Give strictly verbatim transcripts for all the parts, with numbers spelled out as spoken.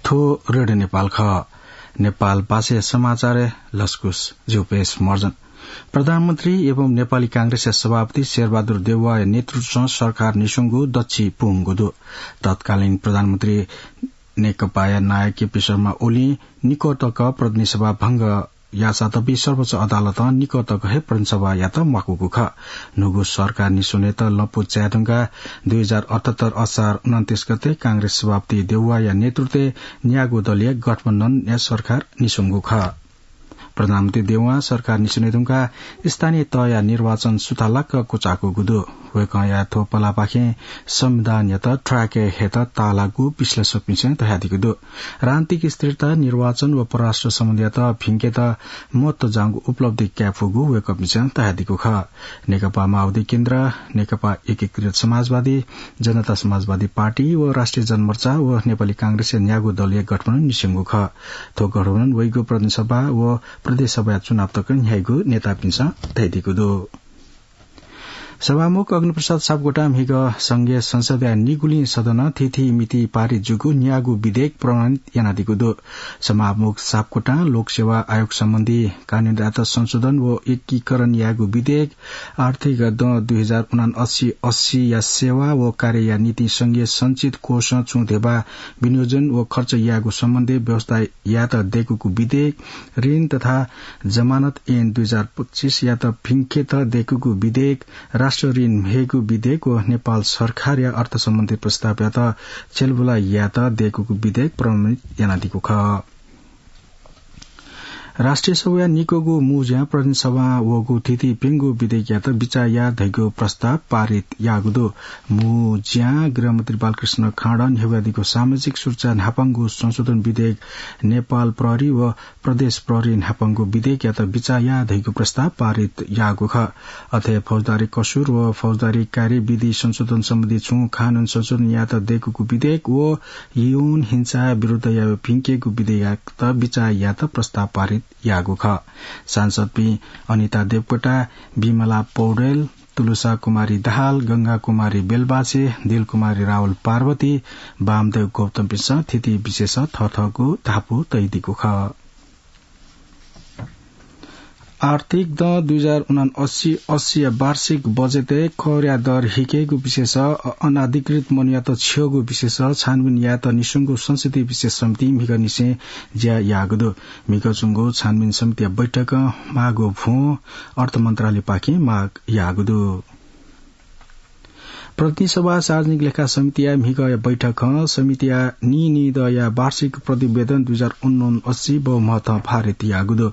थ्व रेडियो नेपाल खः। नेपाल भाषाया समाचार लसकुस झ्यूपेश मर्जन। प्रधानमन्त्री एवं नेपाली कांग्रेसया सभापति शेरबहादुर देउवाया नेतृत्वं सरकार निस्वंगु दच्छि पूवंगु दु। तत्कालीन प्रधानमन्त्री नेकपाया नायः केपी शर्मा ओलीं निकः तक प्रतिनिधि सभा भंग याःसाथ सर्वोच्च अदालतं निकः तक हे प्रतिनिधि सभायात म्वाकूगु खः। न्हूगु सरकार निस्वनेत लँपु चाये धुंकाः दुई हजार अठहत्तर असार उनन्तीस गते कांग्रेस सभापति देउवाया नेतृत्वय् न्यागू दलीय गठबन्धनया सरकार निस्वंगु खः। प्रधानमन्त्री देउवां सरकार निस्वने धुंकाः स्थानीय तहया निर्वाचन सुथालाक क्वचाकूगु दु। वय्कःया थ्व पलापाखें संविधानयात थ्वाके हयेत ताःलाःगु विश्लेषकपिन्सं धयादीगु दु। राजनीतिक स्थिरता, निर्वाचन व परराष्ट्र सम्बन्धयात भिंकेत महत्व जांगु उपलब्धि कायेफुगु वय्कःपिन्सं धयादीगु खः। नेकपा माओवादी केन्द्र, नेकपा एकीकृत समाजवादी, जनता समाजवादी पार्टी व राष्ट्रिय जनमोर्चा व नेपाली कांग्रेसया न्यागू दलीय गठबन्धन निस्यंगु खः। थ्व गठबन्धन वइगु प्रतिनिधि सभा व प्रदेश सभाया चुनाव तक न्ह्याइगु नेतापिन्सं धयादीगु दु। सभामुख अग्निप्रसाद सापकोटां म्हिगः संघीय संसदया निगुलिं सदनं थीथी मिति पारित जूगु न्यागू विधेयक प्रमाणित यानादीगु दु। सभामुख सापकोटां लोकसेवा आयोग सम्बन्धी कानूनयात संशोधन व एकीकरण यायेगु विधेयक, आर्थिक दँ दुई हजार उनान्सय अस्सीया सेवा व कार्यया निंतिं संघीय सञ्चित कोषं छुं धेबा विनियोजन व खर्च यायेगु सम्बन्धी व्यवस्था यायेत दय्कूगु विधेयक, ऋण तथा जमानत ऐन दुई हजार पच्चीसयात भिंकेत दय्कूगु विधेयक, राष्ट्रिय ऋण म्हेगु विधेयक व नेपाल सरकारया अर्थ सम्बन्धी प्रस्तावयात छ्यलबुला यायेत दय्कूगु विधेयक प्रमाणित यानादीगु खः। राष्ट्रिय सभाया निकूगु मू ज्यां प्रतिनिधि सभां वःगु थीथी प्यंगू विधेयकयात बिचाः याये धइगु प्रस्ताव पारित याःगु दु। मू ज्यां गृहमन्त्री बालकृष्ण खाँडं न्ह्यब्वयादीगु सामाजिक सुरक्षा न्हापांगु संशोधन विधेयक, नेपाल प्रहरी व प्रदेश प्रहरी न्हापांगु विधेयकयात बिचाः याये धइगु प्रस्ताव पारित याःगु खः। अथे फौजदारी कसुर व फौजदारी कार्यविधि संशोधन सम्बन्धी छुं कानून संशोधन यायेत दय्कूगु विधेयक व यौन हिंसा विरुद्धया भिंकेगु विधेयकयात बिचाः यायेत प्रस्ताव पारित याःगु खः। सांसदपिं अनिता देवकोटा, विमला पौडेल, तुलसा कुमारी दाहाल, गंगा कुमारी बेलबासे, दिल कुमारी रावल पार्वती, वामदेव गौतमपिन्सं थीथी विषयस थःथःगु धापू तयादीगु खः। आर्थिक दँ दुई हजार उनान्सय अस्सीया वार्षिक बजेटय् करया दर हिकेगु विषयस अ-, अनाधिकृत मनूयात छ्यःगु विषयस छानबिन यायेत निस्वंगु संसदीय विशेष समितिं म्हिगःनिसें ज्या याःगु दु। म्हिगः च्वंगु छानबिन समितिया बैठकं माःगु भ्वं अर्थ मन्त्रालयपाखें माग याःगु दु। प्रतिनिधि सभा सार्वजनिक लेखा समितिया म्हिगःया बैठकं समितिया नीनिदँया वार्षिक प्रतिवेदन दुई हजार उनान्सय बहुमतं पारित याःगु दु।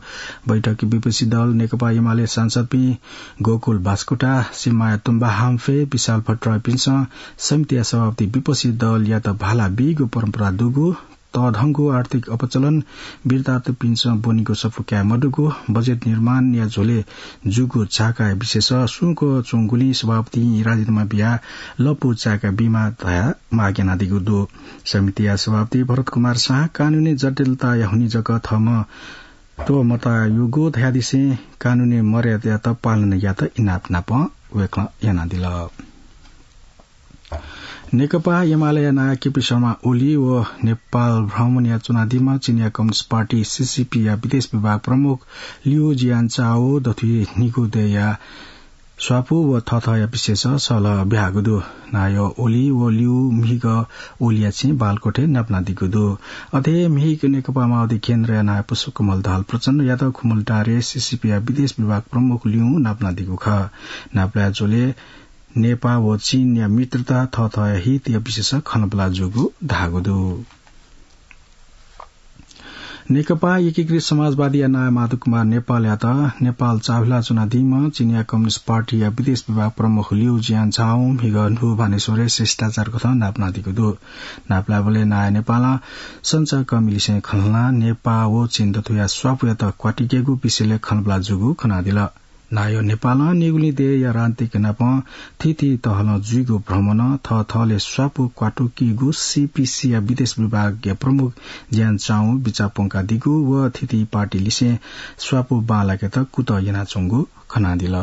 बैठकय् विपक्षी दल नेकपा एमाले सांसदपिं गोकुल बास्कोटा, शिवमाया तुम्बा हाम्फे, विशाल भट्टराईपिन्सं समितिया सभापति विपक्षी दलयात भाला बीगु परम्परा दुगु, तःधंगु आर्थिक अपचलन, बिरादपिन्सं ब्वनीगु सफू काये मदुगु, बजेट निर्माणया झ्वलय् जूगु चाकाया विषयस सुंक च्वंगुलिं सभापतिं राजीनामा बियाः लँपु चाय्का बीमाः धयाः माग यानादीगु दु। समितिया सभापति भरत कुमार साह कानूनी जटिलताया हुनिं जक थःम्हं त्वःमताःगु धयादिसें कानूनी मर्यादायात पालना यायेत इनाप नापं वय्कलं यानादिल। नेकपा एमालेया नायः केपी शर्मा ओली व नेपाल भ्रमणय् च्वनादीम्ह चिनिया कम्युनिस्ट पार्टी, सीसीपीया विदेश विभाग प्रमुख लिउ जियानचाओ दथुइ निगू दँया स्वापू व थःथःया विषयस सल्लाह ब्याहाःगु दु। नायः ओली व लिउ म्हिगः ओलीया छेँय् बालकोटय् नापलानादीगु दु। अथे हे म्हिगः नेकपा माओवादी केन्द्रया नायः पुष्पकमल दाहाल प्रचण्डयात खुमलटारे सीसीपीया विदेश विभाग प्रमुख लिउं नापलानादीगु खः। नापलाये झ्वलय् नेपाः व चीनया मित्रता, थःथःया हितया विषयस खँल्हाबल्हा जूगु धाःगु दु। नेकपा एकीकृत समाजवादीया नायः माधव कुमार नेपालयात नेपाल चाःहिला च्वनादीम्ह चिनिया कम्युनिस्ट पार्टीया विदेश विभाग प्रमुख लिउ जियानचाओं म्हिगः न्हू भानेश्वरय् शिष्टाचार कथं नापलानादीगु दु। नापलायेबलय् नायः नेपालं सञ्चारकर्मीलिसें खँल्हानाः नेपाः व चीन दथुया स्वापूयात क्वातुकेगु विषयलय् खँल्हाबल्हा जूगु खनादिल। नायः नेपालं निगुलिं देय्‌या राजनीतिक नापं थीथी तहलं जुइगु भ्रमणं थःथःलय् स्वापू क्वातुकीगु सीपीसीया विदेश विभागया प्रमुख जियानचाओं बिचाः प्वंकादीगु व थीथी पार्टीलिसें स्वापू बांलाकेत कुतः यानाच्वंगु खनादिल।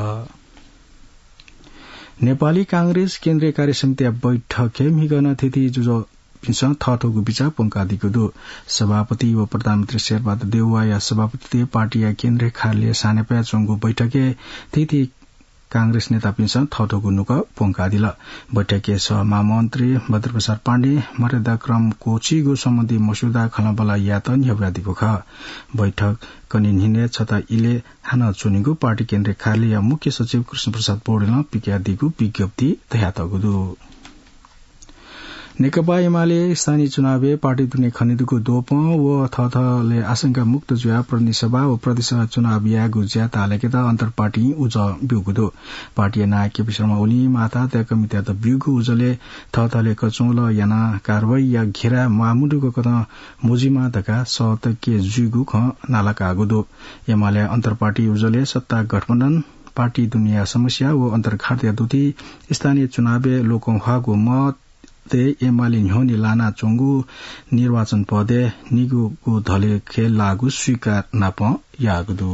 नेपाली कांग्रेस केन्द्रीय कार्य समितिया बैठकय् म्हिगः नं थीथी जुजुं पिन्सं थःथःगु बिचाः प्वंकादीगु दु। सभापति व प्रधानमन्त्री शेरबहादुर देउवाया सभापतित्वय् पार्टीया केन्द्रीय कार्यालय सानेपाय् च्वंगु बैठकय् थीथी कांग्रेस नेतापिन्सं थःथःगु नुगः प्वंकादिल। बैठकय् सह महामन्त्री भद्रप्रसाद पाण्डे मर्यादाक्रम क्वःछीगु सम्बन्धी मस्यौदा खँल्हाबल्हा यायेत न्ह्यब्वयादीगु खः। बैठक कने न्हिनय् छता इलय् हानं च्वनीगु पार्टी केन्द्रीय कार्यालयया मुख्य सचिव कृष्णप्रसाद पौडेलं पिकयादीगु विज्ञप्ति धयातःगु दु। नेकपा एमाले स्थानीय चुनावय् पार्टी दुने खनेदुगु द्वपं व थःथःले आशंका मुक्त जुयाः प्रतिनिधि सभा व प्रदेश सभा चुनाव यायेगु ज्या ताःलाकेत अन्तरपार्टीं उजं ब्यूगु दु। पार्टीया नायः केपी शर्मा ओलीं माःथाय् तय्‌कःमितय्‌त ब्यूगु उजलय् थःथःले कचंगु यानाः कारवाहीया घेराय् म्वाःमदुगु कथं मजुइमा धकाः सःतके जुइगु खँ नालाकाःगु दु। एमाले अन्तरपार्टी उजलय् सत्ता गठबन्धन, पार्टी दुनेया समस्या व अन्तर्घातया दुथि, स्थानीय चुनावय् लोकं ह्वाःगु मत तय् एमाले न्ह्यःने लानाच्वंगु निर्वाचन पदय् निगूगु धलेखय् लाःगु स्वीकार नाप याःगु दु।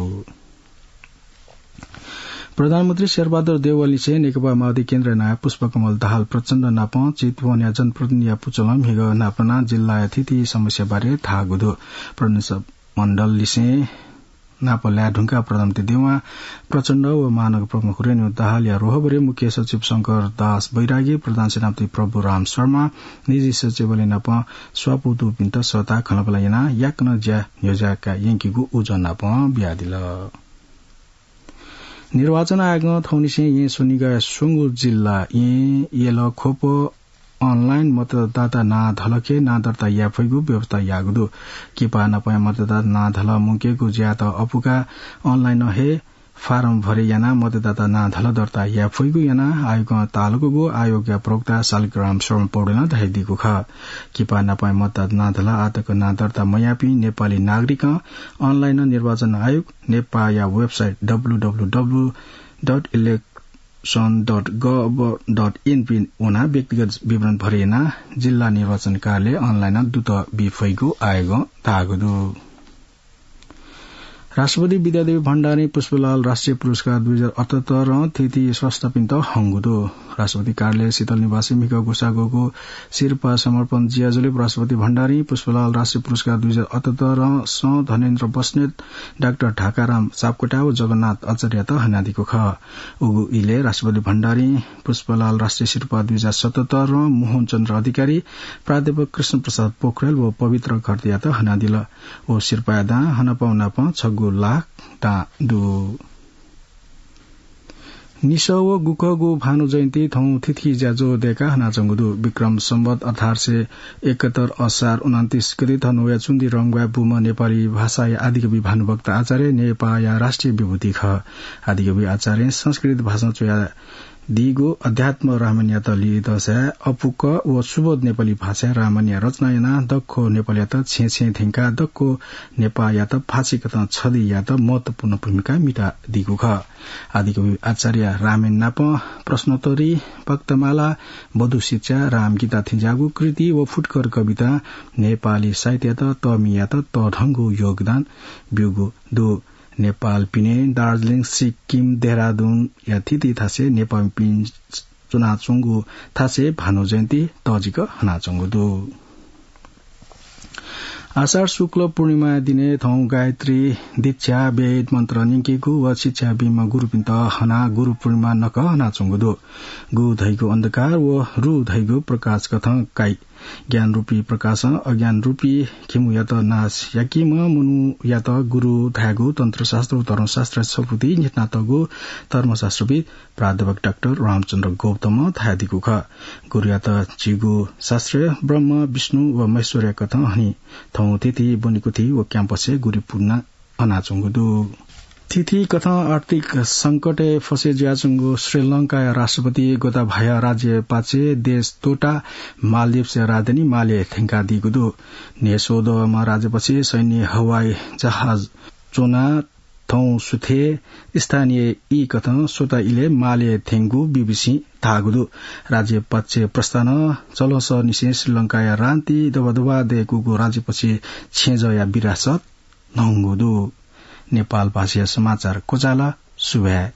प्रधानमन्त्री शेरबहादुर देउवालिसें नेकपा माओवादी केन्द्रीय नायः पुष्पकमल दाहाल प्रचण्ड नाप चितवनया जनप्रतिनिधिया पुचलं म्हिगः नापलानाः जिल्लाया थीथी समस्या बारे धाःगु दु। प्रतिनिधिमण्डललिसें नाप लाये धुंकाः प्रधानमन्त्री देउवां प्रचण्ड व महानगर प्रमुख रेणु दाहालया रोहबरय् मुख्य सचिव शंकर दास बैरागी, प्रधान सेनापति प्रभुराम शर्मा, निजी सचिवालय नाप स्वापू दुपिन्त सःताः खँल्हाबल्हा यानाः याकनं ज्या न्ह्यज्याका यंकेगु उजं नाप बियादिल। निर्वाचन आयोगं थौंनिसें येँ स्वनिगःया स्वंगू जिल्ला येँ, यल, ख्वप online मतदाता नां धलखय् नां दर्ता याये फइगु व्यवस्था याःगु दु। किपा नापंया मतदाता नां धलः मुंकेगु ज्यात अपुकाः online हे फारम भरे यानाः मतदाता नां धलः दर्ता याये फइगु यानाः आयोगं ताःलाकूगु आयोगया प्रवक्ता शालिग्राम शर्मा पौडेलं धयादीगु खः। किपा नापंया मतदाता नां धलः आःतक नां दर्ता मयाःपिं नेपाली नागरिकं online निर्वाचन आयोग नेपाःया website www dot election dot gov dot np वनाः व्यक्तिगत विवरण भरे यानाः जिल्ला निर्वाचन कार्यालय online दुत बी फइगु आयोगं धाःगु दु। राष्ट्रपति विद्यादेवी भण्डारी पुष्पलाल राष्ट्रिय पुरस्कार दुई हजार अठहत्तरं थीथी संस्थापिन्त हंगु दु। राष्ट्रपति कार्यालय शीतल निवासय् म्हिगः ग्वसाः ग्वःगु सिरपाः समर्पण ज्याझ्वलय् राष्ट्रपति भण्डारी पुष्पलाल राष्ट्रिय पुरस्कार दुई हजार अठहत्तरं सं धनेन्द्र बस्नेत, डाक्टर ढाकाराम सापकोटा व जगन्नाथ आचार्ययात हनादीगु खः। उगु इलय् राष्ट्रपति भण्डारीं पुष्पलाल राष्ट्रिय सिरपाः दुई हजार सतहत्तरं मोहन चन्द्र अधिकारी, प्राध्यापक कृष्ण प्रसाद पोखरेल व पवित्र घरतीयात हनादिल। व सिरपाःया दां हनापं नापं छगू लाख दां दु। निसः व गुकःगु भानु जयन्ती थौं थीथी ज्याझ्वः दय्‌काः हनाच्वंगु दु। विक्रम सम्वत अठार सय एकहत्तर असार उनन्तीस गते धनुवाया चुन्दी रंग्वाय् बूम्ह नेपाली भाषाया आदिकवि भानुभक्त आचार्य नेपाःया राष्ट्रिय विभूति खः। आदिकवि आचार्यं संस्कृत भाषां च्वयादीगु अध्यात्म रामायणयात लिधंसाय् अपुक्क व सुबोध नेपाली भाषाय् रामायणया रचना यानाः दक्व नेपालयात छेँय् छेँय् थ्यंकाः दक्व नेपाःयात फाँसी कथं छधी यायेत महत्वपूर्ण भूमिका म्हितादीगु खः। आदिकवि आचार्यया रामायण नाप प्रश्नोत्तरी, भक्तमाला, वधू शिक्षा, रामगीता थेंज्याःगु कृति व फुटकर कवितां नेपाली साहित्ययात तःमि यायेत तःधंगु योगदान ब्यूगु दु। नेपाल पिने दार्जिलिङ, सिक्किम, देहरादुनया थीथी थासय् नेपाःमिपिं च्वनाच्वंगु थासय् भानु जयन्ती तःजिक हनाच्वंगु दु। आषाढ शुक्ल पूर्णिमाया दिनय् थौं गायत्री, दीक्षा, वेद मन्त्र न्यंकेगु व शिक्षा बीम्ह गुरुपिन्त हनाः गुरु पूर्णिमा नखः हनाच्वंगु दु। गु धइगु अन्धकार व रु धइगु प्रकाश कथं काइ। ज्ञानरूपी प्रकाशं अज्ञानरूपी घिमुयात नाश याकीम्ह मनूयात गुरु धायेगु तन्त्रशास्त्र व धर्मशास्त्र छपुति न्ह्यथनातःगु धर्मशास्त्रविद् प्राध्यापक डाक्टर रामचन्द्र गौतमं धयादीगु खः। गुरुयात झीगु शास्त्रय् ब्रह्म, विष्णु व महेश्वरया कथं हनी। थौं थीथी ब्वनेकुथि व क्याम्पसय् गुरु पूर्णिमा हनाच्वंगु दु। थीथी कथं आर्थिक संकटय् फसे जुयाच्वंगु श्रीलंकाया राष्ट्रपति गोताबाया राज्यपाच्छे देश त्वःताः मालदिभ्सया राजधानी मालेय् थ्यंकादीगु दु। न्हय्‌स्वदँम्ह राज्यपाच्छे सैन्य हवाई जहाज च्वनाः थौं सुथय् स्थानीय ई कथं स्वता इलय् मालेय् थ्यंगु बीबीसीं धाःगु दु। राज्यपाच्छे प्रस्थानं चलंसःनिसें श्रीलंकाया रान्ति दबदबा दय्‌कूगु राज्यपाच्छे छेँजःया विरासत न्हंगु दु। नेपाल भाषाया समाचार क्वचाल। सुभाय्।